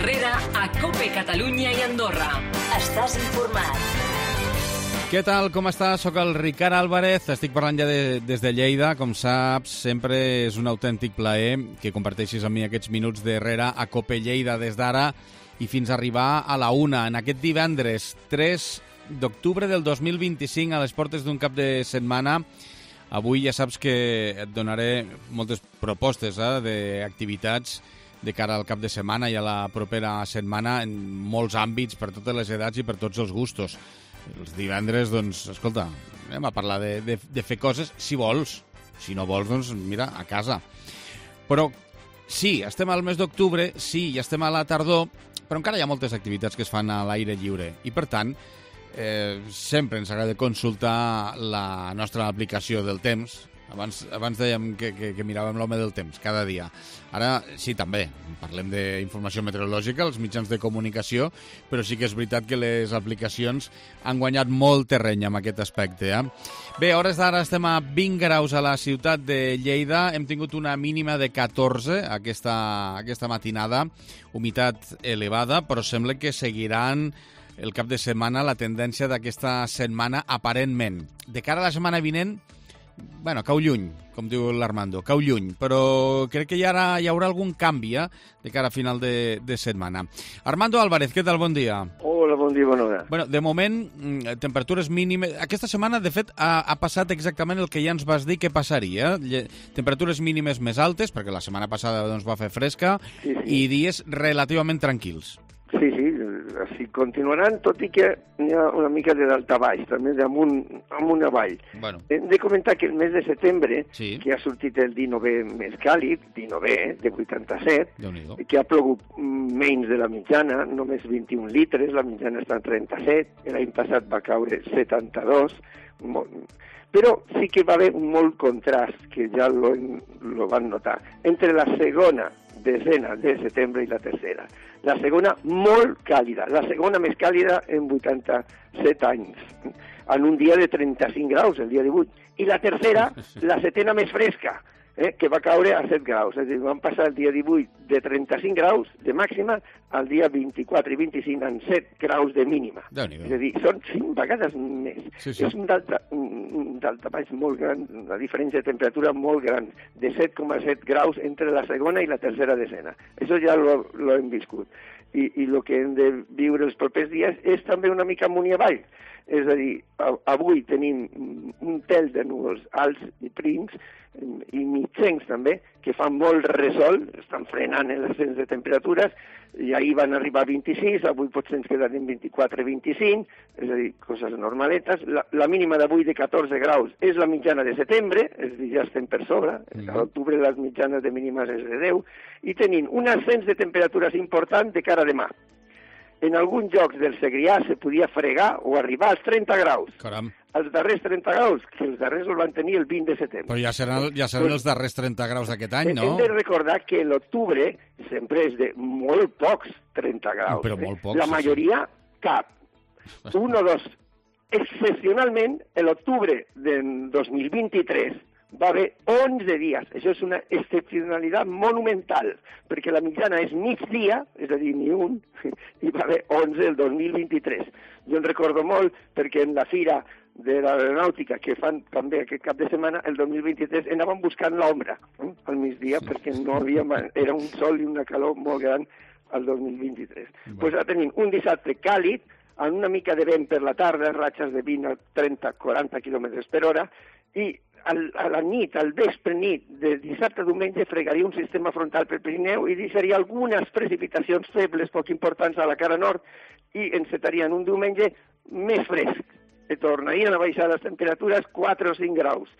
Herrera a COPE Catalunya i Andorra. Estàs informat. Què tal, com estàs? Soc el Ricard Álvarez, estic parlant ja des de Lleida. Com saps, sempre és un autèntic plaer que comparteixis amb mi aquests minuts d'Herrera a COPE Lleida des d'ara i fins a arribar a la 1, en aquest divendres 3 d'octubre del 2025, a les portes d'un cap de setmana. Avui ja saps que et donaré moltes propostes d'activitats de cara al cap de setmana i a la propera setmana en molts àmbits, per totes les edats i per tots els gustos. Els divendres, doncs, escolta, anem a parlar de fer coses si vols. Si no vols, doncs, mira, a casa. Però sí, estem al mes d'octubre, sí, ja estem a la tardor, però encara hi ha moltes activitats que es fan a l'aire lliure. I, per tant, sempre ens agrada consultar la nostra aplicació del temps. Abans dèiem que miràvem l'home del temps cada dia. Ara sí, també parlem d'informació meteorològica, els mitjans de comunicació, però sí que és veritat que les aplicacions han guanyat molt terreny en aquest aspecte. Bé, a hores d'ara estem a 20 graus a la ciutat de Lleida. Hem tingut una mínima de 14 aquesta matinada, humitat elevada, però sembla que seguiran el cap de setmana la tendència d'aquesta setmana aparentment. De cara a la setmana vinent, bueno, cau lluny, com diu l'Armando, cau lluny, però crec que hi haurà algun canvi de cara a final de setmana. Armando Álvarez, què tal? Bon dia. Hola, bon dia, bona hora. Bueno, de moment, temperatures mínimes... Aquesta setmana, de fet, ha passat exactament el que ja ens vas dir que passaria. Temperatures mínimes més altes, perquè la setmana passada doncs, va fer fresca, sí. I dies relativament tranquils. Sí, així continuaran, tot i que hi ha una mica de daltabaix, també d'amunt avall. Bueno. Hem de comentar que el mes de setembre, sí, que ha sortit el 19è més càlid, 19è, de 87, que ha plogut menys de la mitjana, només 21 litres, la mitjana està en 37, l'any passat va caure 72, però sí que va haver un molt contrast, que ja lo van notar, entre la segona desena de setembre i la tercera. La segona molt càlida, la segona més càlida en 87 anys, en un dia de 35 graus, el dia 18. I la tercera, la setena més fresca, que va caure a 7 graus. És a dir, van passar el dia 18 de 35 graus de màxima al dia 24 i 25 en 7 graus de mínima. És a dir, són 5 vegades més. Sí. És un daltabaix molt gran, una diferència de temperatura molt gran, de 7,7 graus entre la segona i la tercera desena. Això ja lo hem viscut. I el que hem de viure els propers dies és també una mica amunt i avall. És a dir, avui tenim un tel de núvols alts i prims i mitjans també, que fan molt resol, estan frenant l'ascens de temperatures, i ahir van arribar a 26, avui potser ens quedarem 24-25, és a dir, coses normaletes. La mínima d'avui de 14 graus és la mitjana de setembre, és a dir, ja estem per sobre, a l'octubre les mitjanes de mínimes és de 10, i tenim un ascens de temperatures important de cara a demà. En alguns llocs del Segrià se podia fregar o arribar als 30 graus. Caram. Els darrers 30 graus, que els darrers els van tenir el 20 de setembre. Però ja seran els darrers 30 graus d'aquest any, no? Hem de recordar que l'octubre sempre és de molt pocs 30 graus. Però molt pocs. La majoria, cap. Un o dos. Excepcionalment, l'octubre del 2023 va haver 11 dies. Això és una excepcionalitat monumental, perquè la mitjana és migdia, és a dir, ni un, i va haver 11 el 2023. Jo en recordo molt, perquè en la fira de l'aeronàutica que fan també aquest cap de setmana, el 2023, anàvem buscant l'ombra al migdia, perquè no havia, era un sol i una calor molt gran al 2023. Doncs ara tenim un dissabte càlid, amb una mica de vent per la tarda, ratxes de 20 a 30-40 km per hora, i a la nit, al vespre nit, de dissabte a diumenge, fregaria un sistema frontal pel Pirineu i deixaria algunes precipitacions febles, poc importants a la cara nord, i encetarien un diumenge més fresc. Tornarien a baixar les temperatures 4 o 5 graus,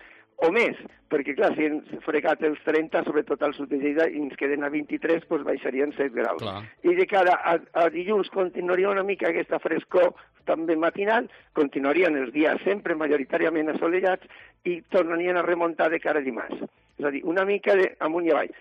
o més, perquè clar, si hem fregat els 30, sobretot al sud de Lleida, i ens queden a 23, doncs baixarien 7 graus. Clar. I de cara a dilluns continuaria una mica aquesta frescor també matinal, continuarien els dies sempre majoritàriament assolellats i tornarien a remuntar de cara a dimarts. És a dir, una mica amunt i avall.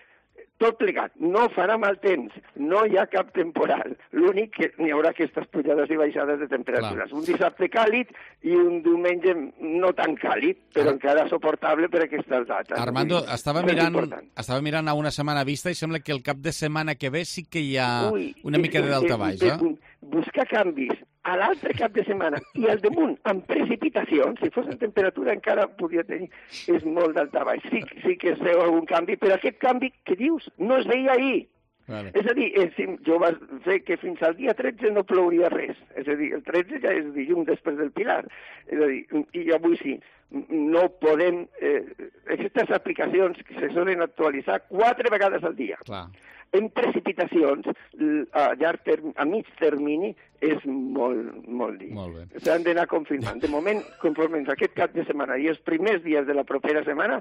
tot plegat. No farà mal temps, no hi ha cap temporal. L'únic que n'hi haurà aquestes pujades i baixades de temperatures. Un dissabte càlid i un diumenge no tan càlid, però encara suportable per aquestes dates. Armando, estava mirant a una setmana vista i sembla que el cap de setmana que ve sí que hi ha una mica de daltabaix, Buscar canvis a l'altre cap de setmana i al damunt amb precipitacions, si fos en temperatura encara podria tenir, és molt daltabaix. Sí que es veu algun canvi, però aquest canvi que dius no es veia ahir. Vale. És a dir, jo vaig fer que fins al dia 13 no plouria res. És a dir, el 13 ja és dilluns després del Pilar. És a dir, i avui sí. No podem... aquestes aplicacions que se solen actualitzar 4 vegades al dia. Clar. En precipitacions, a mig termini, és molt dir. Molt bé. S'han d'anar confirmant. De moment, conforme aquest cap de setmana i els primers dies de la propera setmana,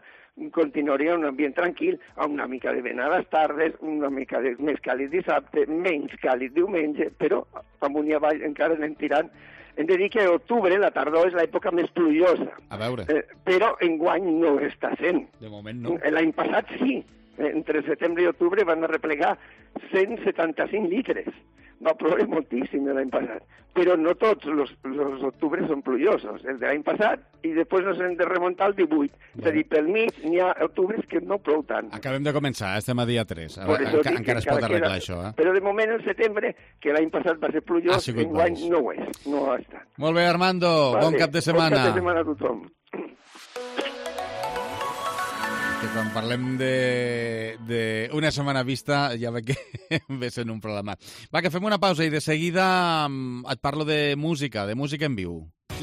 continuaria un ambient tranquil, amb una mica de vent a les tardes, una mica més càlid dissabte, menys càlid diumenge, però amunt i avall encara anem tirant. Hem de dir que octubre, la tardor, és l'època més pluviosa. A veure. Però enguany no està sent. De moment no. L'any passat sí. Entre setembre i octubre van arreplegar 175 litres. Va ploure moltíssim l'any passat. Però no tots els octubres són plujosos. El de l'any passat i després nos hem de remuntar al 18. És a dir, pel mig n'hi ha octubres que no plou tant. Acabem de començar, estem a dia 3. Encara es pot arreglar això. Però de moment el setembre, que l'any passat va ser plujós, enguany no ho és. No ha estat. Molt bé, Armando. Bon cap de setmana. Bon cap de setmana a tothom. Que quan parlem d'una setmana vista ja ve que ve sent un problema. Va, que fem una pausa i de seguida et parlo de música en viu.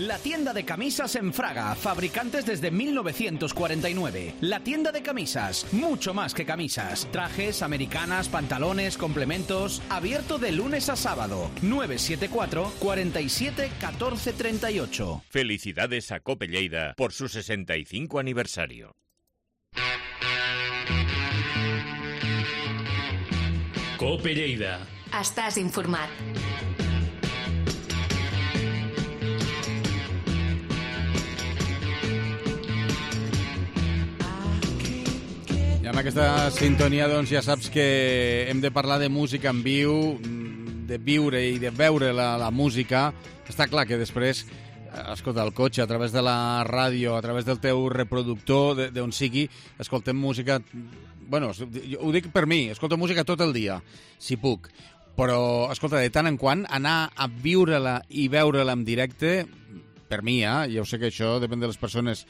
La tienda de camisas en Fraga, fabricantes desde 1949. La tienda de camisas, mucho más que camisas. Trajes, americanas, pantalones, complementos. Abierto de lunes a sábado. 974 47 14 38. Felicidades a Cope Lleida por su 65 aniversario. Cope Lleida. Estàs informat. I amb aquesta sintonia doncs ja saps que hem de parlar de música en viu, de viure i de veure la música. Està clar que després, escolta, el cotxe, a través de la ràdio, a través del teu reproductor, d'on sigui, escoltem música... Bueno, ho dic per mi, escolto música tot el dia, si puc. Però, escolta, de tant en quant, anar a viure-la i veure-la en directe, per mi, ja ho sé que això depèn de les persones,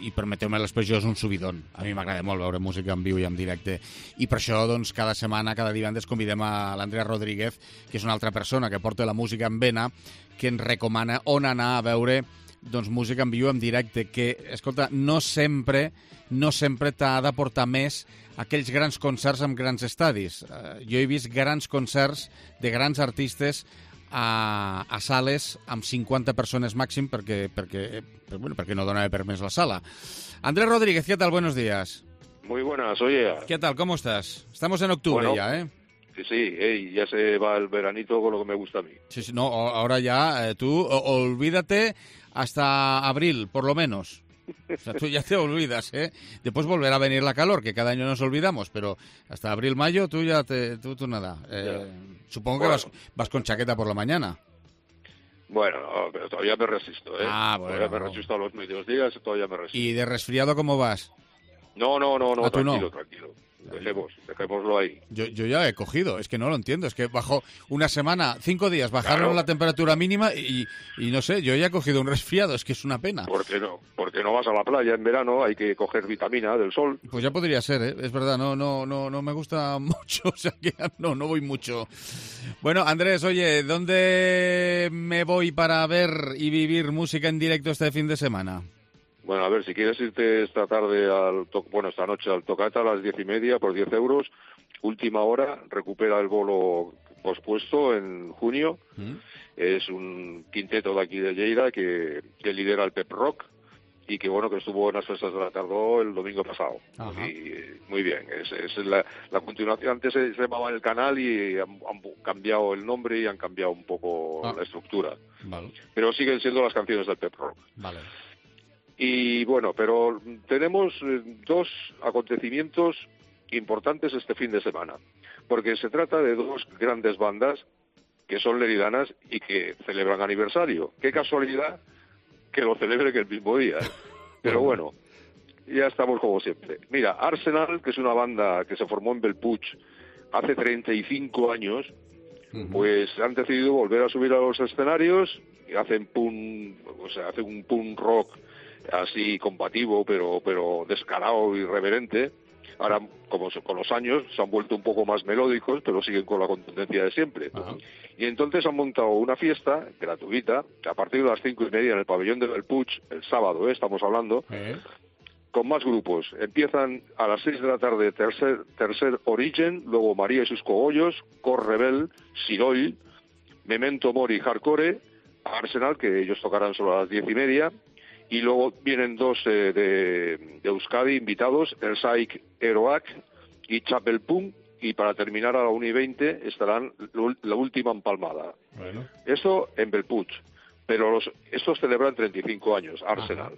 i permeteu-me l'expressió, és un subidon. A mi m'agrada molt veure música en viu i en directe. I per això, doncs, cada setmana, cada divendres, convidem a l'Andrea Rodríguez, que és una altra persona que porta la música en vena, que ens recomana on anar a veure doncs, música en viu en directe, que, escolta, no sempre t'ha de portar més aquells grans concerts amb grans estadis. Jo he vist grans concerts de grans artistes a sales amb 50 persones màxim perquè no donava permès la sala. Andrés Rodríguez, ¿qué tal? Buenos días. Muy buenas, oye. ¿Qué tal? ¿Cómo estás? Estamos en octubre ya, ¿eh? Sí, ya se va el veranito con lo que me gusta a mí. Sí, no, ahora ya, tú olvídate hasta abril, por lo menos. O sea, tú ya te olvidas, ¿eh? Después volverá a venir la calor, que cada año nos olvidamos, pero hasta abril, mayo, tú ya tú nada. Supongo que vas con chaqueta por la mañana. Bueno, pero todavía me resisto, ¿eh? Bueno. Todavía me resisto a los medios días, todavía me resisto. ¿Y de resfriado cómo vas? No, tranquilo, ¿tú no? Tranquilo. Dejémoslo ahí. Yo ya he cogido, es que no lo entiendo. Es que bajó una semana, 5 días, bajaron la temperatura mínima y no sé, yo ya he cogido un resfriado, es que es una pena. ¿Por qué no? Porque no vas a la playa en verano, hay que coger vitamina del sol. Pues ya podría ser, ¿eh? Es verdad, no me gusta mucho, o sea que no voy mucho. Bueno, Andrés, oye, ¿dónde me voy para ver y vivir música en directo este fin de semana? Bueno, a ver, si quieres irte esta noche al Tocata a las 10:30 por 10 euros, última hora, recupera el bolo pospuesto en junio. Es un quinteto de aquí de Lleida que lidera el Pep Rock y que estuvo en las fiestas de la Tardó el domingo pasado. Y muy bien, es la continuación. Antes se llamaba El Canal y han cambiado el nombre y han cambiado un poco la estructura. Vale. Pero siguen siendo las canciones del Pep Rock. Vale. Y bueno, pero tenemos 2 acontecimientos importantes este fin de semana, porque se trata de dos grandes bandas que son leridanas y que celebran aniversario. Qué casualidad que lo celebren el mismo día, ¿eh? Pero bueno, ya estamos como siempre. Mira, Arsenal, que es una banda que se formó en Bellpuig hace 35 años, pues han decidido volver a subir a los escenarios y hacen hacen un punk rock así combativo, pero descarado y irreverente. Ahora, como con los años, se han vuelto un poco más melódicos, pero siguen con la contundencia de siempre. Y entonces han montado una fiesta gratuita, a partir de las 5:30 en el pabellón de Bellpuig, el sábado, estamos hablando, con más grupos. Empiezan a las 6 de la tarde Tercer Origen, luego María y sus cogollos, Cor Rebel, Sirol, Memento Mori Hardcore, Arsenal, que ellos tocarán solo a las 10:30, y luego vienen dos de Euskadi invitados, el Saik Eroak y Chapel Punk, y para terminar a la 1:20 estarán la última empalmada. Bueno. Eso en Bellpuig, pero estos celebran 35 años, Arsenal.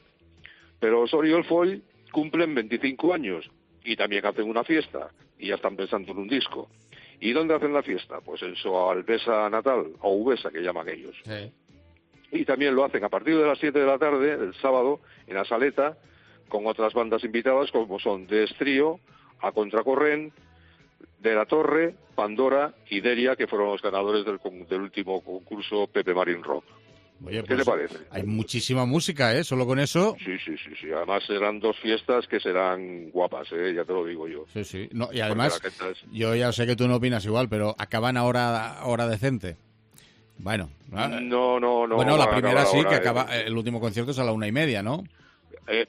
Pero los Oriol Foy cumplen 25 años y también hacen una fiesta y ya están pensando en un disco. ¿Y dónde hacen la fiesta? Pues en su Albesa natal, o Ubesa, que llaman ellos. Sí. Y también lo hacen a partir de las 7 de la tarde, el sábado, en la Saleta, con otras bandas invitadas como son De Estrío, A Contracorrent, De la Torre, Pandora y Deria, que fueron los ganadores del último concurso Pepe Marín Rock. Oye, ¿Qué pues, te parece? Hay muchísima música, ¿eh? Solo con eso. Sí. Además serán dos fiestas que serán guapas, ya te lo digo yo. Sí. No, y además, yo ya sé que tú no opinas igual, pero acaban a hora decente. Bueno. No. Bueno, la primera sí, que acaba, el último concierto es a la 1:30, ¿no?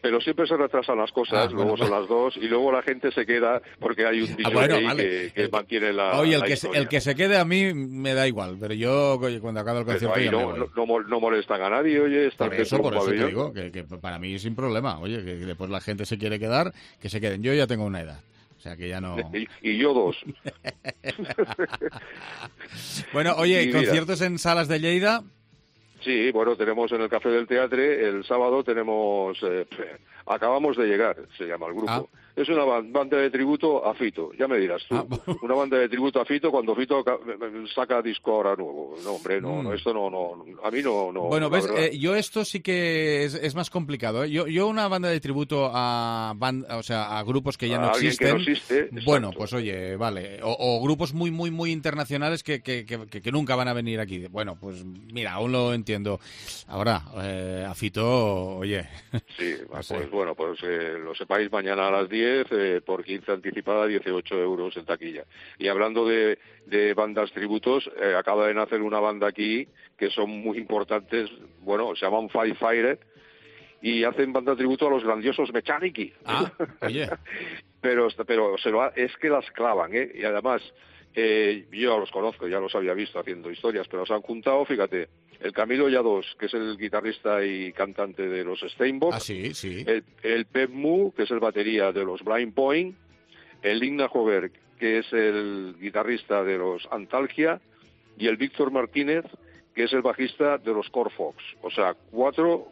Pero siempre se retrasan las cosas, luego son las 2 y luego la gente se queda porque hay un dicho que mantiene la. Oye, historia. el que se quede a mí me da igual, pero yo cuando acabe el concierto ahí ya no molestan a nadie, oye, por eso te digo que para mí sin problema, oye, que después la gente se quiere quedar, que se queden. Yo ya tengo una edad. O sea que ya no. Y yo 2. Bueno, oye, conciertos en salas de Lleida. Sí, bueno, tenemos en el Café del Teatre, el sábado tenemos, Acabamos de llegar, se llama el grupo. Es una banda de tributo a Fito, ya me dirás tú. Una banda de tributo a Fito cuando Fito saca disco ahora nuevo. No, hombre, no, esto no, a mí no. Bueno, ves, yo esto sí que es más complicado, ¿eh? Yo una banda de tributo a grupos que ya no existen. Que no existe, bueno, pues oye, vale. O grupos muy, muy, muy internacionales que nunca van a venir aquí. Bueno, pues mira, aún lo entiendo. Ahora, a Fito, oye. Sí, pues bueno, pues lo sepáis mañana a las 10, por 15 anticipada, 18 euros en taquilla. Y hablando de bandas tributos, acaba de nacer una banda aquí que son muy importantes, bueno, se llaman Five Fire y hacen banda tributo a los grandiosos Mechaniki. Oye. pero es que las clavan, y además yo los conozco, ya los había visto haciendo historias, pero se han juntado, fíjate, el Camilo Lladós, que es el guitarrista y cantante de los Steinbock, sí. el Pep Mu, que es el batería de los Blind Point, el Igna Jover, que es el guitarrista de los Antalgia, y el Víctor Martínez, que es el bajista de los Corfox. O sea, 4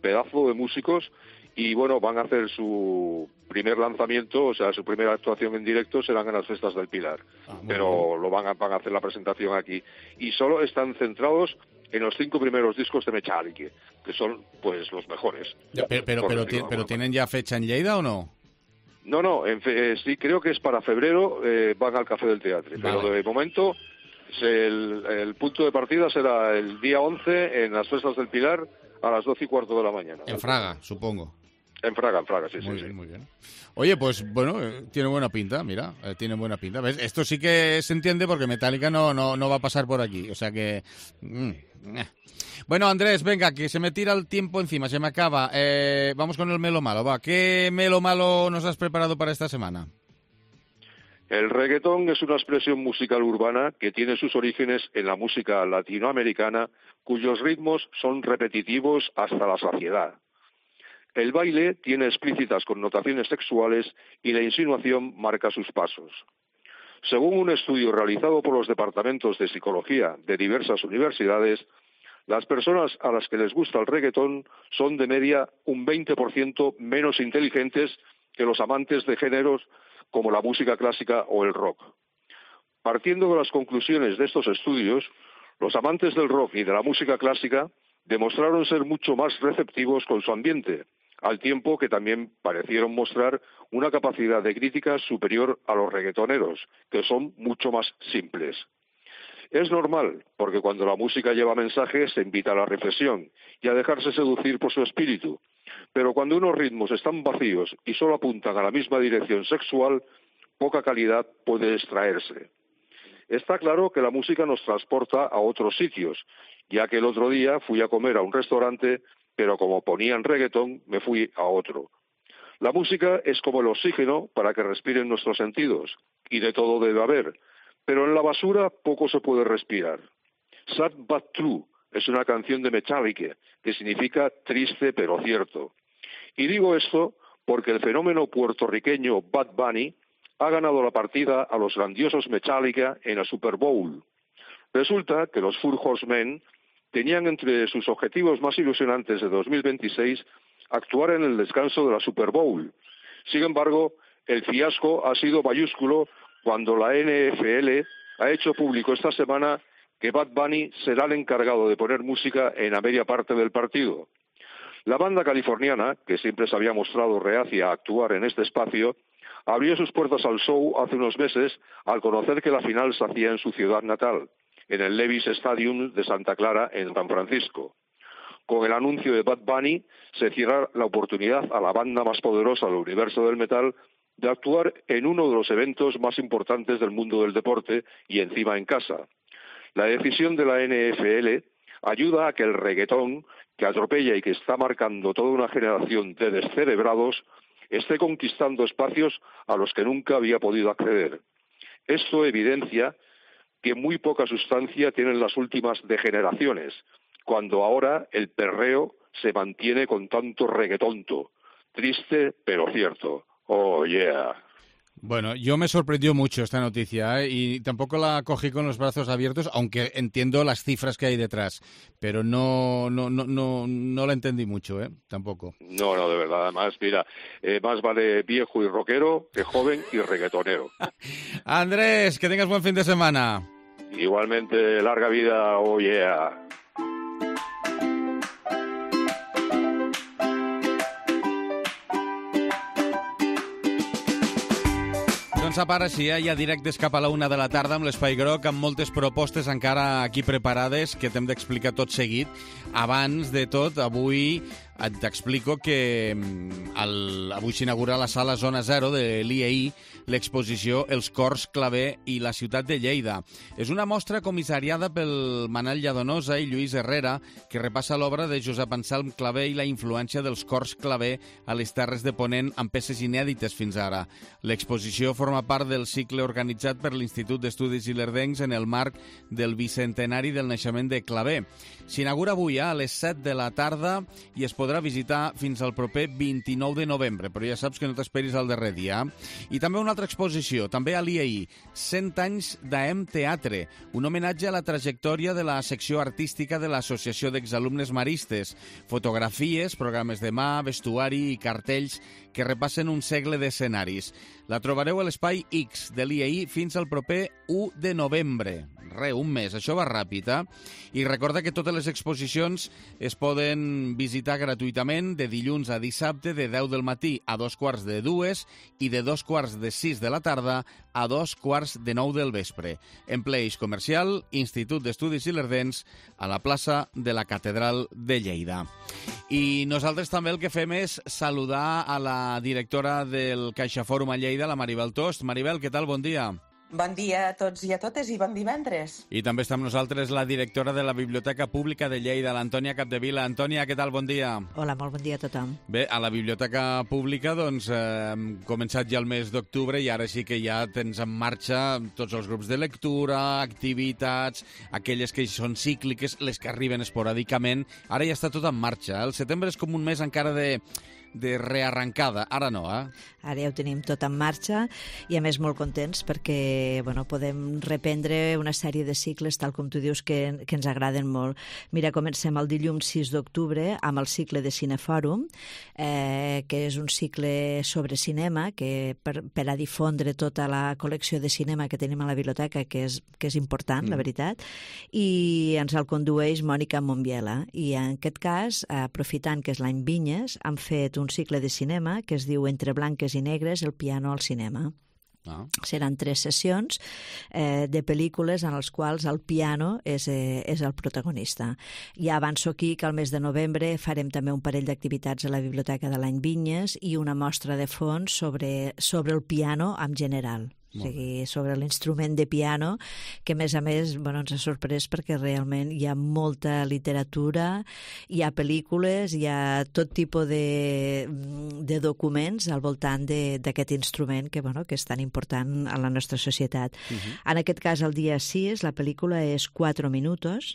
pedazos de músicos, y bueno, van a hacer su primer lanzamiento, o sea, su primera actuación en directo serán en las Fiestas del Pilar. Pero van a hacer la presentación aquí. Y solo están centrados en los 5 primeros discos de Mechaniki, que son, pues, los mejores. Pero ¿tienen ya fecha en Lleida o no? No, sí, creo que es para febrero, van al Café del Teatre. Vale. Pero de momento, el punto de partida será el día 11 en las Fiestas del Pilar a las 12:15 de la mañana. En Fraga, supongo. En Fraga, sí. Muy bien. Oye, pues bueno, tiene buena pinta, mira, tiene buena pinta. ¿Ves? Esto sí que se entiende porque Metallica no va a pasar por aquí, o sea que... Bueno, Andrés, venga, que se me tira el tiempo encima, se me acaba. Vamos con el Melo Malo, va. ¿Qué Melo Malo nos has preparado para esta semana? El reggaetón es una expresión musical urbana que tiene sus orígenes en la música latinoamericana, cuyos ritmos son repetitivos hasta la saciedad. El baile tiene explícitas connotaciones sexuales y la insinuación marca sus pasos. Según un estudio realizado por los departamentos de psicología de diversas universidades, las personas a las que les gusta el reggaetón son de media un 20% menos inteligentes que los amantes de géneros como la música clásica o el rock. Partiendo de las conclusiones de estos estudios, los amantes del rock y de la música clásica demostraron ser mucho más receptivos con su ambiente, al tiempo que también parecieron mostrar una capacidad de crítica superior a los reggaetoneros, que son mucho más simples. Es normal, porque cuando la música lleva mensajes se invita a la reflexión y a dejarse seducir por su espíritu, pero cuando unos ritmos están vacíos y solo apuntan a la misma dirección sexual, poca calidad puede extraerse. Está claro que la música nos transporta a otros sitios, ya que el otro día fui a comer a un restaurante, pero como ponían reggaetón, me fui a otro. La música es como el oxígeno para que respiren nuestros sentidos, y de todo debe haber, pero en la basura poco se puede respirar. Sad But True es una canción de Metallica, que significa triste pero cierto. Y digo esto porque el fenómeno puertorriqueño Bad Bunny ha ganado la partida a los grandiosos Metallica en la Super Bowl. Resulta que los Four Horsemen tenían entre sus objetivos más ilusionantes de 2026 actuar en el descanso de la Super Bowl. Sin embargo, el fiasco ha sido mayúsculo cuando la NFL ha hecho público esta semana que Bad Bunny será el encargado de poner música en la media parte del partido. La banda californiana, que siempre se había mostrado reacia a actuar en este espacio, abrió sus puertas al show hace unos meses al conocer que la final se hacía en su ciudad natal, en el Levi's Stadium de Santa Clara, en San Francisco. Con el anuncio de Bad Bunny se cierra la oportunidad a la banda más poderosa del universo del metal de actuar en uno de los eventos más importantes del mundo del deporte y encima en casa. La decisión de la NFL ayuda a que el reggaetón, que atropella y que está marcando toda una generación de descerebrados, esté conquistando espacios a los que nunca había podido acceder. Esto evidencia que muy poca sustancia tienen las últimas degeneraciones, cuando ahora el perreo se mantiene con tanto reggaetonto. Triste, pero cierto. Oh, yeah. Bueno, yo me sorprendió mucho esta noticia, y tampoco la cogí con los brazos abiertos, aunque entiendo las cifras que hay detrás, pero no la entendí mucho, tampoco. No, de verdad. Además, mira, más vale viejo y rockero que joven y reggaetonero. Andrés, que tengas buen fin de semana. Igualmente, larga vida, oh yeah. Doncs a part així, hi ha directes cap a la 1 de la tarda amb l'Espai Groc, amb moltes propostes encara aquí preparades que t'hem d'explicar tot seguit. Abans de tot, avui t'explico que avui s'inaugura a la sala Zona 0 de l'IEI l'exposició Els Cors Claver i la ciutat de Lleida. És una mostra comissariada pel Manel Lladonosa i Lluís Herrera, que repassa l'obra de Josep Anselm Claver i la influència dels cors claver a les Terres de Ponent amb peces inèdites fins ara. L'exposició forma part del cicle organitzat per l'Institut d'Estudis Ilerdencs en el marc del bicentenari del naixement de Claver. S'inaugura avui a les 7 de la tarda i es podrà visitar fins al proper 29 de novembre, però ja saps que no t'esperis al darrer dia. I també una altra exposició, també a l'IEI, 100 anys d'AEM Teatre, un homenatge a la trajectòria de la secció artística de l'Associació d'Exalumnes Maristes, fotografies, programes de mà, vestuari i cartells que repassen un segle d'escenaris. La trobareu a l'Espai X de l'IEI fins al proper 1 de novembre. Un mes, això va ràpid, I recorda que totes les exposicions es poden visitar gratuïtament de dilluns a dissabte de 10 del matí a 2:45 i de 2:45 de la tarda a 2:45 del vespre. En ple eix comercial, Institut d'Estudis Ilerdencs, a la plaça de la Catedral de Lleida. I nosaltres també el que fem és saludar a la directora del CaixaForum a Lleida, la Maribel Tost. Maribel, què tal? Bon dia. Bon dia a tots i a totes i bon divendres. I també està amb nosaltres la directora de la Biblioteca Pública de Lleida, l'Antònia Capdevila. Antònia, què tal? Bon dia. Hola, molt bon dia a tothom. Bé, a la Biblioteca Pública hem començat ja el mes d'octubre i ara sí que ja tens en marxa tots els grups de lectura, activitats, aquelles que són cícliques, les que arriben esporàdicament. Ara ja està tot en marxa. El setembre és com un mes encara de de rearrencada. Ara no, eh? Ara ja ho tenim tot en marxa i a més molt contents perquè podem reprendre una sèrie de cicles, tal com tu dius, que ens agraden molt. Mira, comencem el dilluns 6 d'octubre amb el cicle de Cinefòrum, que és un cicle sobre cinema que per a difondre tota la col·lecció de cinema que tenim a la biblioteca, que és important, la veritat, i ens el condueix Mònica Monbiela. I en aquest cas, aprofitant que és l'any Vinyes, han fet un cicle de cinema que es diu Entre blanques i negres, el piano al cinema. Seran 3 sessions de pel·lícules en les quals el piano és el protagonista. Ja avanço aquí que al mes de novembre farem també un parell d'activitats a la Biblioteca de l'any Vinyes i una mostra de fons sobre el piano en general. O sigui, sobre l'instrument de piano, que a més ens ha sorprès perquè realment hi ha molta literatura, hi ha pel·lícules, hi ha tot tipus de documents al voltant d'aquest instrument que és tan important a la nostra societat. En aquest cas, el dia 6, la pel·lícula és 4 minutos.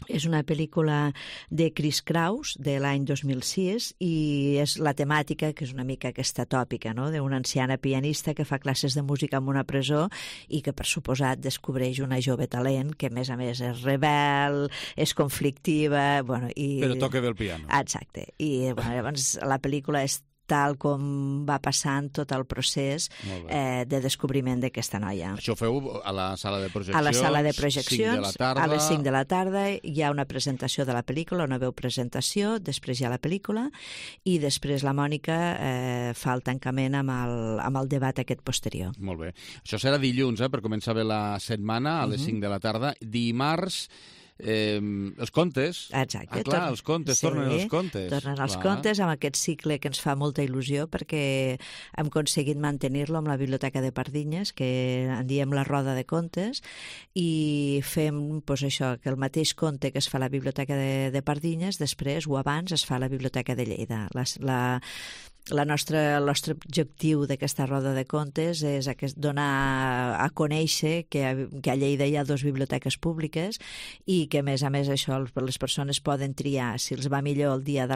És una pel·lícula de Chris Kraus, de l'any 2006, i és la temàtica, que és una mica aquesta tòpica, no?, d'una anciana pianista que fa classes de música en una presó i que, per suposat, descobreix una jove talent que, a més, és rebel, és conflictiva... Però toca bé el piano. Exacte. I llavors la pel·lícula és tal com va passant tot el procés de descobriment d'aquesta noia. Això ho feu a la sala de projeccions? A la sala de projeccions, 5 de la tarda. A les 5 de la tarda hi ha una presentació de la pel·lícula, una veu presentació, després hi ha la pel·lícula i després la Mònica fa el tancament amb el debat aquest posterior. Molt bé. Això serà dilluns, per començar bé la setmana, a les 5 de la tarda. Dimarts... els contes. Exacte. Els contes, tornen els contes. Tornen els contes amb aquest cicle que ens fa molta il·lusió perquè hem aconseguit mantenir-lo amb la Biblioteca de Pardinyes, que en diem la roda de contes, i fem això, que el mateix conte que es fa a la Biblioteca de Pardinyes, després o abans es fa a la Biblioteca de Lleida. El nostre objectiu d'aquesta roda de contes és donar a conèixer que a Lleida hi ha 2 biblioteques públiques i que, a més això, les persones poden triar si els va millor el dia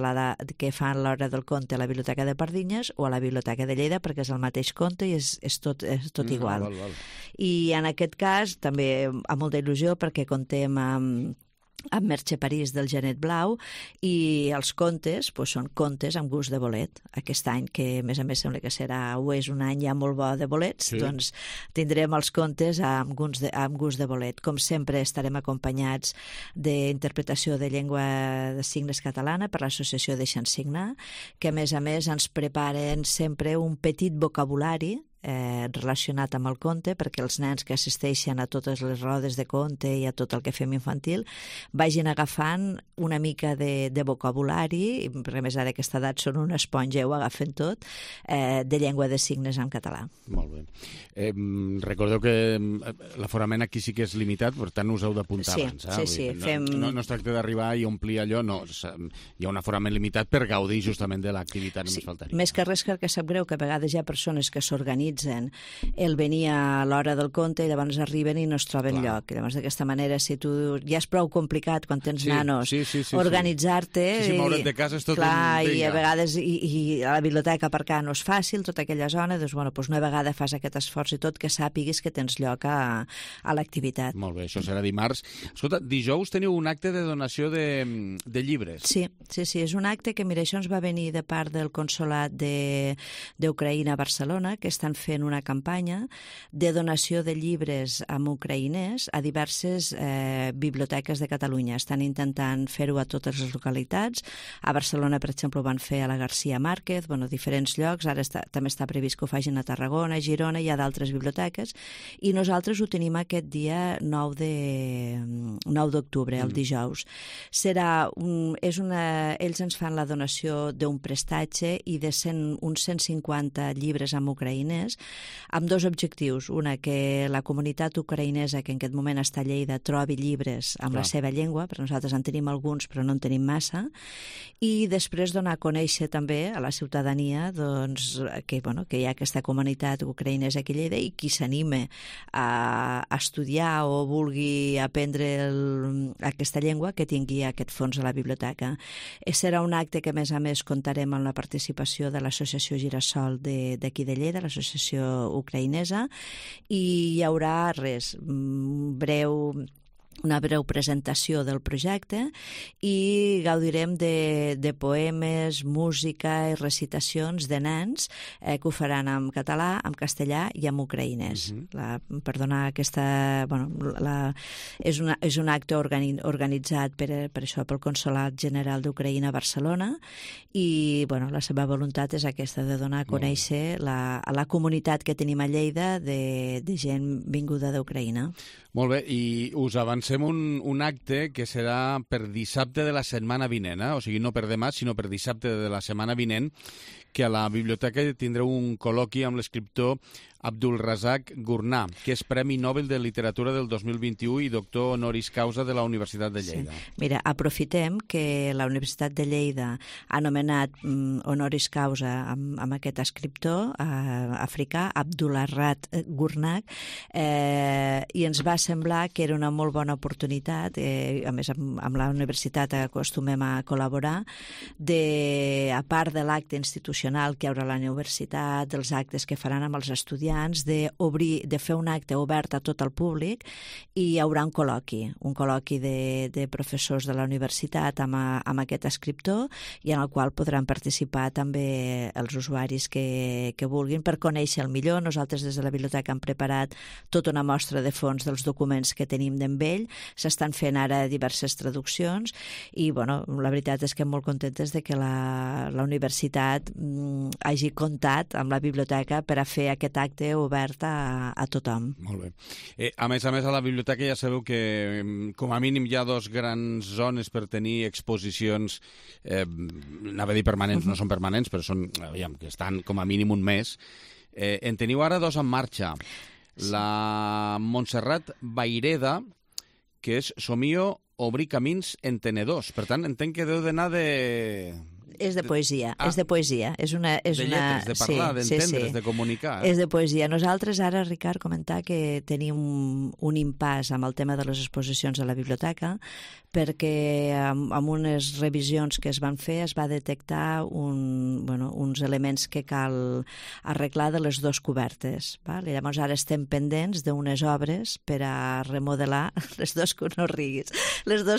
que fan l'hora del conte a la Biblioteca de Pardinyes o a la Biblioteca de Lleida, perquè és el mateix conte i és tot igual. Val. I en aquest cas també amb molta il·lusió perquè contem amb Merche París del Genet Blau i els contes són contes amb gust de bolet. Aquest any, que a més sembla que és un any ja molt bo de bolets, doncs tindrem els contes amb gust de bolet. Com sempre estarem acompanyats d'interpretació de llengua de signes catalana per l'Associació Deixa'ns Signar, que a més ens preparen sempre un petit vocabulari relacionat amb el conte, perquè els nens que assisteixen a totes les rodes de conte i a tot el que fem infantil vagin agafant una mica de vocabulari, perquè a més ara d'aquesta edat són una esponja, ho agafen tot, de llengua de signes en català. Molt bé. Recordeu que l'aforament aquí sí que és limitat, per tant us heu d'apuntar abans. Sí. No es tracta d'arribar i omplir allò, no. Hi ha un aforament limitat per gaudir justament de l'activitat, només faltaria. Més que res que sap greu que a vegades hi ha persones que s'organitzen el venir a l'hora del conte i llavors arriben i no es troben lloc. Llavors, d'aquesta manera, si tu ja és prou complicat quan tens nanos organitzar-te... Sí, moure't de casa és tot un dia. I a vegades i a la biblioteca aparcar no és fàcil, tota aquella zona, doncs una vegada fas aquest esforç i tot, que sàpiguis que tens lloc a l'activitat. Molt bé, això serà dimarts. Escolta, dijous teniu un acte de donació de llibres. Sí, és un acte que, mira, això ens va venir de part del Consolat d'Ucraïna a Barcelona, que estan fent una campanya de donació de llibres amb ucraïnès a diverses biblioteques de Catalunya. Estan intentant fer-ho a totes les localitats. A Barcelona, per exemple, ho van fer a la García Márquez, diferents llocs. Ara també està previst que ho facin a Tarragona, a Girona, hi ha d'altres biblioteques. I nosaltres ho tenim aquest dia 9 d'octubre, el dijous. Ells ens fan la donació d'un prestatge i de uns 150 llibres amb ucraïnès llibres, amb dos objectius. Una, que la comunitat ucraïnesa que en aquest moment està a Lleida trobi llibres amb la seva llengua, perquè nosaltres en tenim alguns però no en tenim massa, i després donar a conèixer també a la ciutadania doncs, que hi ha aquesta comunitat ucraïnesa aquí a Lleida i qui s'anime a estudiar o vulgui aprendre aquesta llengua, que tingui aquest fons a la biblioteca. Serà un acte que, a més, comptarem amb la participació de l'Associació Girassol d'aquí de Lleida, l'associació ucraïnesa, i hi haurà una breu presentació del projecte i gaudirem de poemes, música i recitacions de nens que ho faran en català, en castellà i en ucraïnès. Per donar aquesta... És un acte organitzat per això, pel Consolat General d'Ucraïna a Barcelona i la seva voluntat és aquesta, de donar a conèixer a la comunitat que tenim a Lleida de gent vinguda d'Ucraïna. Molt bé, i us avancem un acte que serà per dissabte de la setmana vinent, o sigui, no per demà, sinó per dissabte de la setmana vinent, que a la biblioteca tindreu un col·loqui amb l'escriptor Abdulrazak Gurnah, que és Premi Nobel de Literatura del 2021 i doctor honoris causa de la Universitat de Lleida. Sí. Mira, aprofitem que la Universitat de Lleida ha nomenat honoris causa amb aquest escriptor africà, Abdulrazak Gurnah, i ens va semblar que era una molt bona oportunitat, a més amb la universitat acostumem a col·laborar, a part de l'acte institucional que hi haurà a la universitat, dels actes que faran amb els estudiants, de fer un acte obert a tot el públic, i hi haurà un col·loqui de professors de la universitat amb aquest escriptor, i en el qual podran participar també els usuaris que vulguin per conèixer el millor. Nosaltres des de la biblioteca hem preparat tota una mostra de fons dels documents que tenim d'en ell, s'estan fent ara diverses traduccions i la veritat és que molt contentes de que la universitat hagi comptat amb la biblioteca per a fer aquest acte obert a tothom. Molt bé. A més, a la biblioteca ja sabeu que com a mínim hi ha dos grans zones per tenir exposicions, anava a dir permanents, no són permanents, però són, que estan com a mínim un mes. En teniu ara dos en marxa. La Montserrat Vayreda, que és Somio obrir camins entenedors. Per tant, entenc que deu d'anar de... És de poesia, és de poesia. És de lletres, de parlar, d'entendre's, de comunicar. És de poesia. Nosaltres ara, Ricard, comentar que tenim un impàs amb el tema de les exposicions a la biblioteca, perquè amb unes revisions que es van fer es va detectar uns elements que cal arreglar de les dues cobertes. Val? I llavors ara estem pendents d'unes obres per a remodelar les dues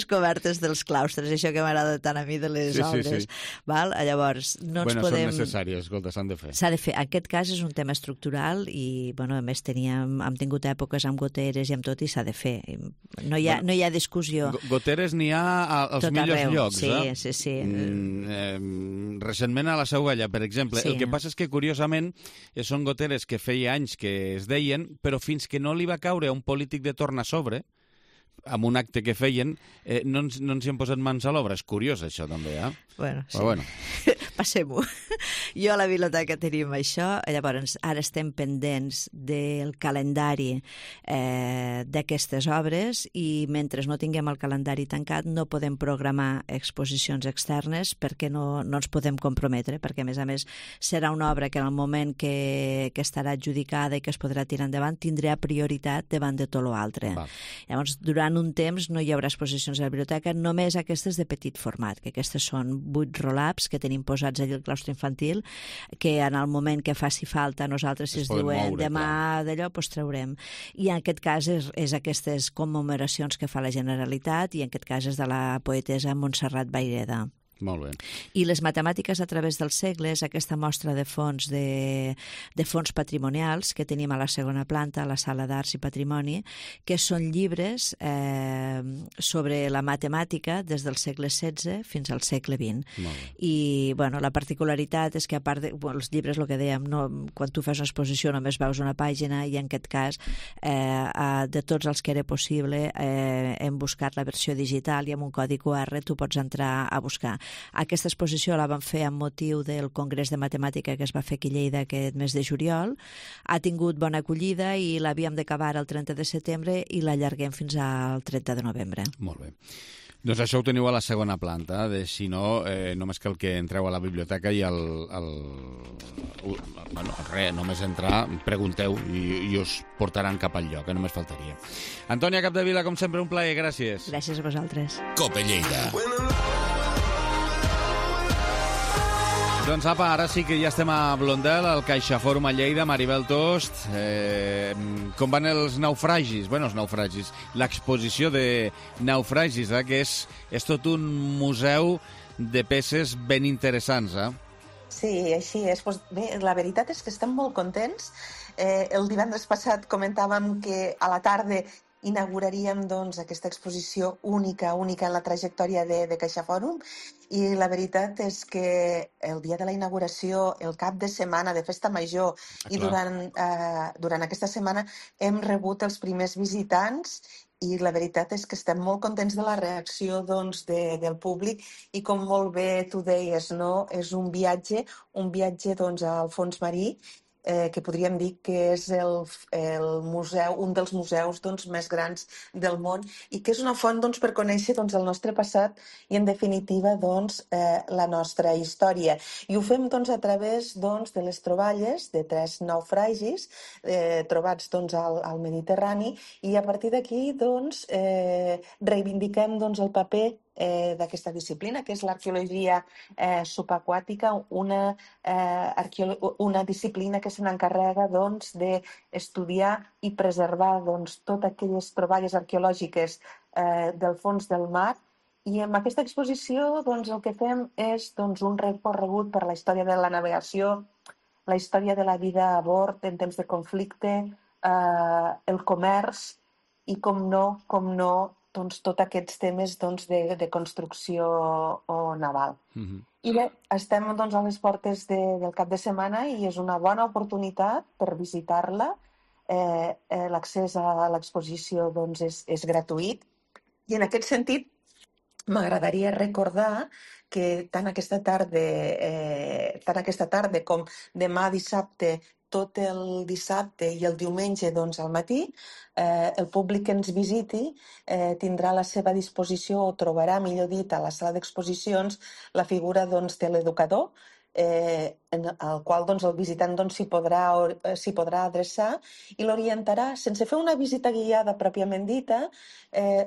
cobertes dels claustres, això que m'agrada tant a mi de les obres. Sí. Val? Llavors, no ens podem... Són necessàries, escolta, s'han de fer. S'ha de fer. En aquest cas és un tema estructural i, a més, hem tingut èpoques amb goteres i amb tot i s'ha de fer. No hi ha discussió. Goteres n'hi ha als millors llocs, Sí. Recentment a la Seu Galla, per exemple. Sí. El que passa és que, curiosament, són goteres que feia anys que es deien, però fins que no li va caure a un polític de torn a sobre, amb un acte que feien, no ens hi hem posat mans a l'obra. És curiós, això, també, Bueno. Passem-ho. Jo a la biblioteca tenim això, llavors ara estem pendents del calendari d'aquestes obres i mentre no tinguem el calendari tancat no podem programar exposicions externes perquè no ens podem comprometre, perquè a més serà una obra que en el moment que estarà adjudicada i que es podrà tirar endavant tindrà prioritat davant de tot l'altre. Llavors, durant un temps no hi haurà exposicions a la biblioteca, només aquestes de petit format, que aquestes són 8 roll-ups que tenim posats allà al claustre infantil, que en el moment que faci falta nosaltres, si es diuen demà d'allò, doncs traurem. I en aquest cas és aquestes commemoracions que fa la Generalitat i en aquest cas és de la poetessa Montserrat Vayreda. Molt bé. I les matemàtiques a través dels segles, aquesta mostra de fons fons patrimonials que tenim a la segona planta, a la sala d'Arts i Patrimoni, que són llibres sobre la matemàtica des del segle XVI fins al segle XX. I la particularitat és que a part dels llibres, el que dèiem, quan tu fas una exposició només veus una pàgina i en aquest cas de tots els que era possible hem buscat la versió digital i amb un codi QR tu pots entrar a buscar. Aquesta exposició la vam fer amb motiu del Congrés de Matemàtica que es va fer aquí a Lleida aquest mes de juliol. Ha tingut bona acollida i l'havíem d'acabar el 30 de setembre i l'allarguem fins al 30 de novembre. Molt bé. Doncs això ho teniu a la segona planta, si no, només cal que entreu a la biblioteca i només entrar, pregunteu i us portaran cap al lloc, que només faltaria. Antònia Capdevila, com sempre, un plaer, gràcies. Gràcies a vosaltres. Cope Lleida. Doncs apa, ara sí que ja estem a Blondel, al CaixaFòrum a Lleida, Maribel Tost. Com van els naufragis? Bueno, els naufragis. L'exposició de naufragis, que és tot un museu de peces ben interessants, Sí, així és. Pues bé, la veritat és que estem molt contents. El divendres passat comentàvem que a la tarda inauguraríem doncs, aquesta exposició única en la trajectòria de CaixaFòrum, i la veritat és que el dia de la inauguració, el cap de setmana de Festa Major i durant aquesta setmana hem rebut els primers visitants i la veritat és que estem molt contents de la reacció doncs, del públic i com molt bé tu deies, no? És un viatge doncs, al fons marí que podríem dir que és el museu, un dels museus doncs, més grans del món i que és una font doncs, per conèixer doncs, el nostre passat i, en definitiva, doncs, la nostra història. I ho fem doncs, a través doncs, de les troballes de 3 naufragis trobats doncs, al Mediterrani i a partir d'aquí doncs, reivindiquem doncs, el paper d'aquesta disciplina, que és l'arqueologia subaquàtica, una disciplina que se n'encarrega doncs, d'estudiar i preservar doncs, totes aquelles troballes arqueològiques del fons del mar. I amb aquesta exposició doncs, el que fem és doncs, un recorregut per la història de la navegació, la història de la vida a bord en temps de conflicte, el comerç i, com no, doncs, tots aquests temes doncs, de construcció naval. I bé, estem doncs, a les portes del cap de setmana i és una bona oportunitat per visitar-la. L'accés a l'exposició doncs, és gratuït i en aquest sentit m'agradaria recordar que tant aquesta tarda com demà dissabte, tot el dissabte i el diumenge doncs, al matí, el públic que ens visiti tindrà a la seva disposició o trobarà, millor dit, a la sala d'exposicions la figura doncs, de l'educador, al qual doncs, el visitant doncs, s'hi podrà adreçar i l'orientarà, sense fer una visita guiada pròpiament dita,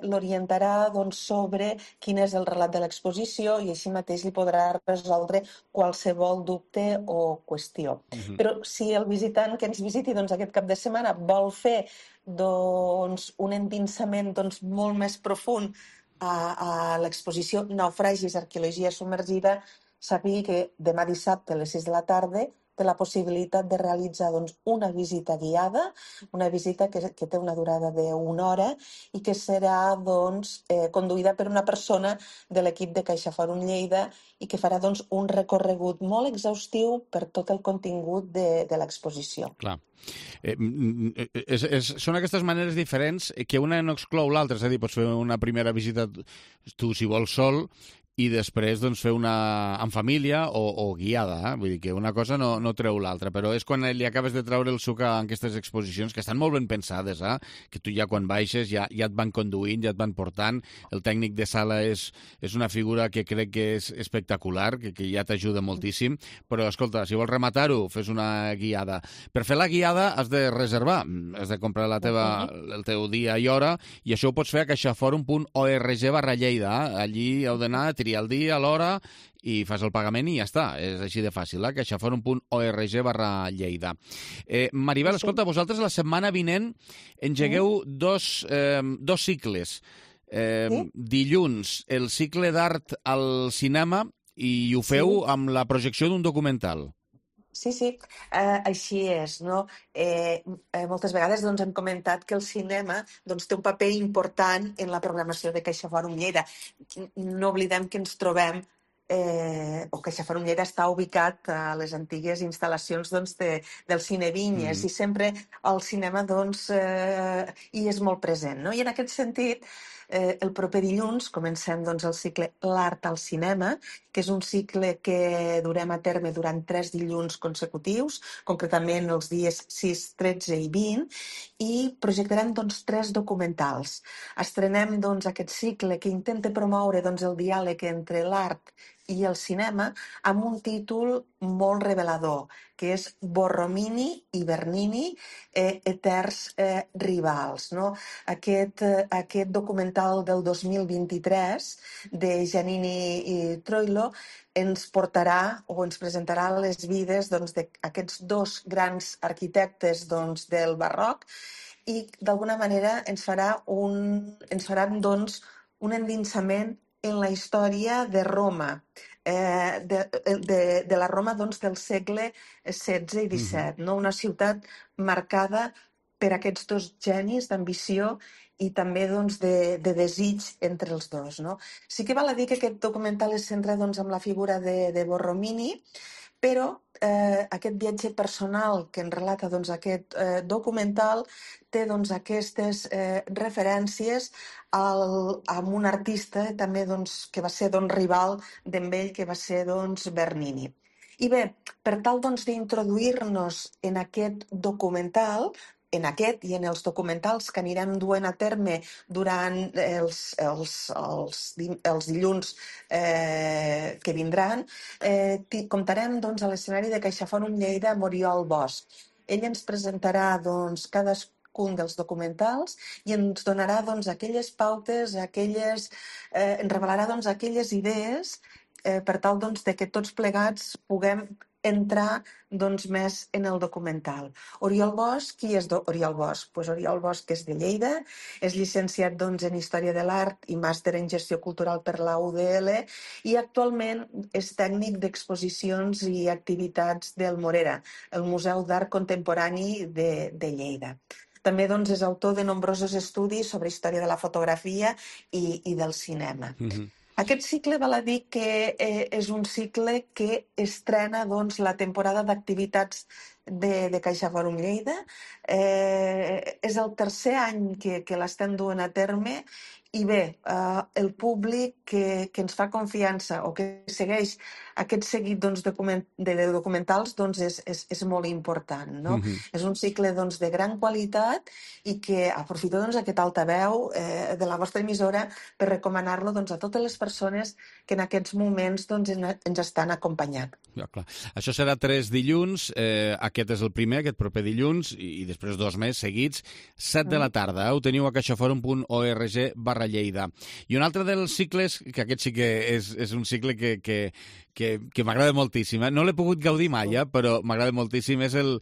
l'orientarà doncs, sobre quin és el relat de l'exposició i així mateix li podrà resoldre qualsevol dubte o qüestió. Però si el visitant que ens visiti doncs, aquest cap de setmana vol fer doncs, un endinsament doncs, molt més profund a l'exposició Naufragis, arqueologia submergida, sàpiga que demà dissabte a les 6 de la tarda té la possibilitat de realitzar doncs, una visita guiada, una visita que té una durada d'1 hora i que serà doncs, conduïda per una persona de l'equip de CaixaFòrum Lleida i que farà doncs, un recorregut molt exhaustiu per tot el contingut de l'exposició. Clar. Són aquestes maneres diferents que una no exclou l'altra, és a dir, pots fer una primera visita tu si vols sol i després doncs, fer una en família o guiada. Vull dir que una cosa no treu l'altra, però és quan li acabes de treure el suc a aquestes exposicions, que estan molt ben pensades, que tu ja quan baixes ja et van conduint, ja et van portant. El tècnic de sala és una figura que crec que és espectacular, que ja t'ajuda moltíssim, però escolta, si vols rematar-ho, fes una guiada. Per fer la guiada has de reservar, has de comprar el teu dia i hora, i això ho pots fer a caixaforum.org/Lleida. Allí heu d'anar, el dia, l'hora, i fas el pagament i ja està. És així de fàcil, caixaforum.org/Lleida. Maribel, escolta, vosaltres la setmana vinent engegueu dos cicles. Dilluns, el cicle d'art al cinema, i ho feu amb la projecció d'un documental. Sí, així és, no? Moltes vegades doncs, hem comentat que el cinema doncs, té un paper important en la programació de CaixaFòrum Lleida. No oblidem que ens trobem o CaixaFòrum Lleida està ubicat a les antigues instal·lacions doncs, del Cine Vinyes i sempre el cinema doncs, hi és molt present. No? I en aquest sentit El proper dilluns comencem doncs, el cicle L'Art al Cinema, que és un cicle que durem a terme durant 3 dilluns consecutius, concretament els dies 6, 13 i 20, i projectarem doncs, 3 documentals. Estrenem doncs, aquest cicle que intenta promoure doncs, el diàleg entre l'art i el cinema amb un títol molt revelador, que és Borromini i Bernini, eterns rivals. No? Aquest documental del 2023 de Giannini i Troilo ens portarà o ens presentarà les vides doncs, d'aquests 2 grans arquitectes doncs, del barroc i d'alguna manera ens faran doncs, un endinsament en la història de Roma, de la Roma doncs, del segle XVI i XVII, no? Una ciutat marcada per aquests 2 genis d'ambició i també doncs, de desig entre els dos. No? Sí que val a dir que aquest documental es centra doncs, en la figura de Borromini, però aquest viatge personal que en relata doncs, aquest documental té doncs, aquestes referències amb un artista també doncs, que va ser doncs, rival d'en ell, que va ser doncs, Bernini. I bé, per tal doncs, d'introduir-nos en aquest documental, en aquest i en els documentals que anirem duent a terme durant els dilluns que vindran, comptarem doncs, a l'escenari de CaixaForum Lleida amb Oriol Bosch. Ell ens presentarà doncs, cadascun dels documentals i ens donarà doncs, aquelles pautes, ens revelarà doncs, aquelles idees per tal doncs, de que tots plegats puguem entrar doncs, més en el documental. Oriol Bosch, qui és Oriol Bosch? Pues Oriol Bosch és de Lleida, és llicenciat doncs, en Història de l'Art i màster en Gestió Cultural per la UDL i actualment és tècnic d'exposicions i activitats del Morera, el Museu d'Art Contemporani de Lleida. També doncs, és autor de nombrosos estudis sobre història de la fotografia i del cinema. Aquest cicle val a dir que és un cicle que estrena doncs, la temporada d'activitats de CaixaForum Lleida. És el tercer any que l'estem duent a terme i bé, el públic que ens fa confiança o que segueix aquest seguit doncs, de documentals doncs, és molt important. No? És un cicle doncs, de gran qualitat i que aprofito doncs, aquest altaveu de la vostra emissora per recomanar-lo doncs, a totes les persones que en aquests moments doncs, ens estan acompanyant. Ja, clar. Això serà 3 dilluns, aquest és el primer, aquest proper dilluns, i després 2 més seguits, 7 de la tarda. Ho teniu a caixaforum.org/Lleida. I un altre dels cicles, que aquest sí que és un cicle que m'agrada moltíssim. No l'he pogut gaudir mai, però m'agrada moltíssim. És el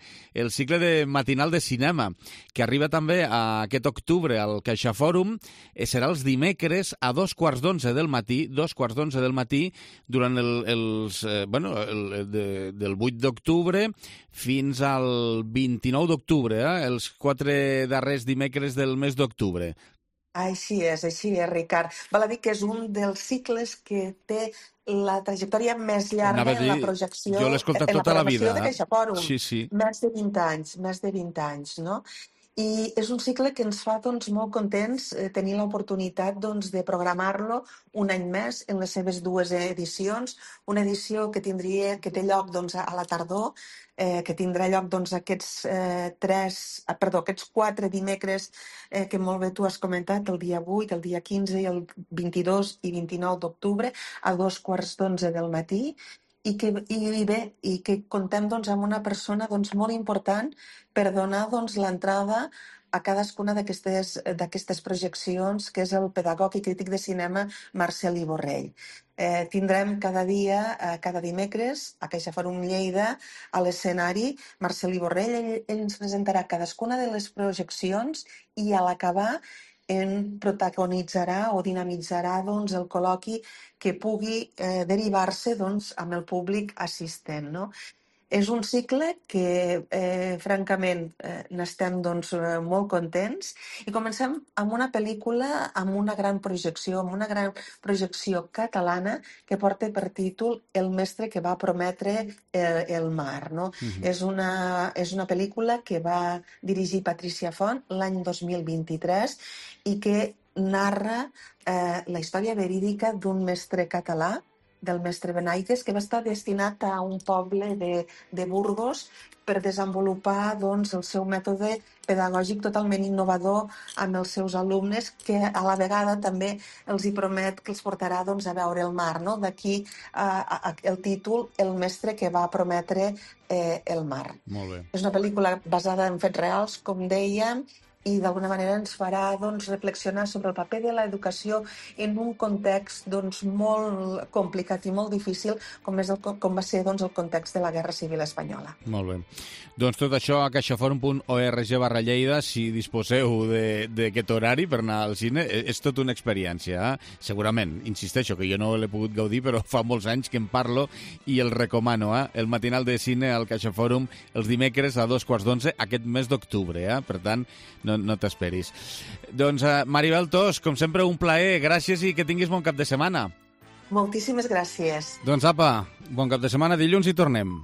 cicle matinal de cinema, que arriba també aquest octubre al CaixaForum. Serà els dimecres a 2:15 del matí, durant del 8 d'octubre fins al 29 d'octubre, els 4 darrers dimecres del mes d'octubre. Així és, Ricard. Val a dir que és un dels cicles que té la trajectòria més llarga en la projecció. Jo l'he escoltat tota la vida. De CaixaForum. Sí. Més de 20 anys, no? I és un cicle que ens fa doncs, molt contents tenir l'oportunitat doncs, de programar-lo un any més en les seves 2 edicions. Una edició que té lloc doncs, a la tardor, que tindrà lloc doncs, aquests 4 dimecres que molt bé tu has comentat, el dia 8, el dia 15, el 22 i 29 d'octubre, a 2:15 del matí. I que contem doncs, amb una persona doncs, molt important per donar doncs, l'entrada a cadascuna d'aquestes projeccions, que és el pedagog i crític de cinema Marcel Borrell. Tindrem cada dimecres a CaixaForum Lleida a l'escenari Marcel Borrell. Ell ens presentarà cadascuna de les projeccions i a l'acabar protagonitzarà o dinamitzarà doncs, el col·loqui que pugui derivar-se doncs, amb el públic assistent. No? És un cicle que, francament, n'estem doncs, molt contents i comencem amb una pel·lícula amb una gran projecció catalana que porta per títol El mestre que va prometre el mar. No? És una pel·lícula que va dirigir Patricia Font l'any 2023 i que narra la història verídica d'un mestre català, del mestre Benaigues, que va estar destinat a un poble de Burgos per desenvolupar doncs, el seu mètode pedagògic totalment innovador amb els seus alumnes, que a la vegada també els hi promet que els portarà doncs, a veure el mar. No? D'aquí el títol El mestre que va prometre el mar. Molt bé. És una pel·lícula basada en fets reals, com dèiem, i d'alguna manera ens farà doncs, reflexionar sobre el paper de l'educació en un context doncs, molt complicat i molt difícil com va ser doncs, el context de la Guerra Civil Espanyola. Molt bé. Doncs tot això a caixaforum.org/Lleida, si disposeu d'aquest horari per anar al cine, és tota una experiència. Segurament, insisteixo, que jo no l'he pogut gaudir, però fa molts anys que en parlo i el recomano. El matinal de cine al CaixaForum els dimecres a 11:15 aquest mes d'octubre. Per tant, no t'esperis. Doncs, Maribel Tos, com sempre, un plaer. Gràcies i que tinguis bon cap de setmana. Moltíssimes gràcies. Doncs apa, bon cap de setmana. Dilluns hi tornem.